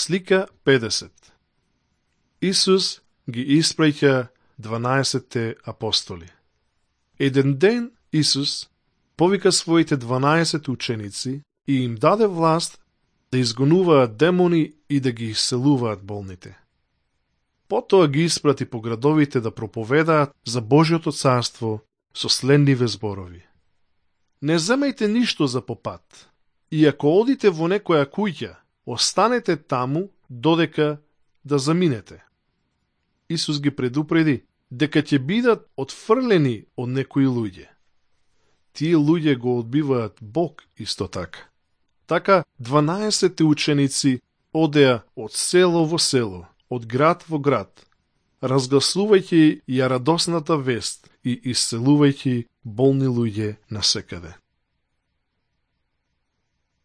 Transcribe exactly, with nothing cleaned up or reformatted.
Слика педесет. Исус ги испраќа дванаесетте апостоли. Еден ден Исус повика своите дванаесет ученици и им даде власт да изгонуваат демони и да ги исцелуваат болните. Потоа ги испрати по градовите да проповедаат за Божјото царство со следниве зборови. Не земајте ништо за попат, и ако одите во некоја куќа, останете таму додека да заминете. Исус ги предупреди дека ќе бидат отфрлени од некои луѓе. Тие луѓе го одбиваат Бог исто така. Така дванаесетте ученици одеа од село во село, од град во град, разгласувајќи ја радосната вест и исцелувајќи болни луѓе насекаде.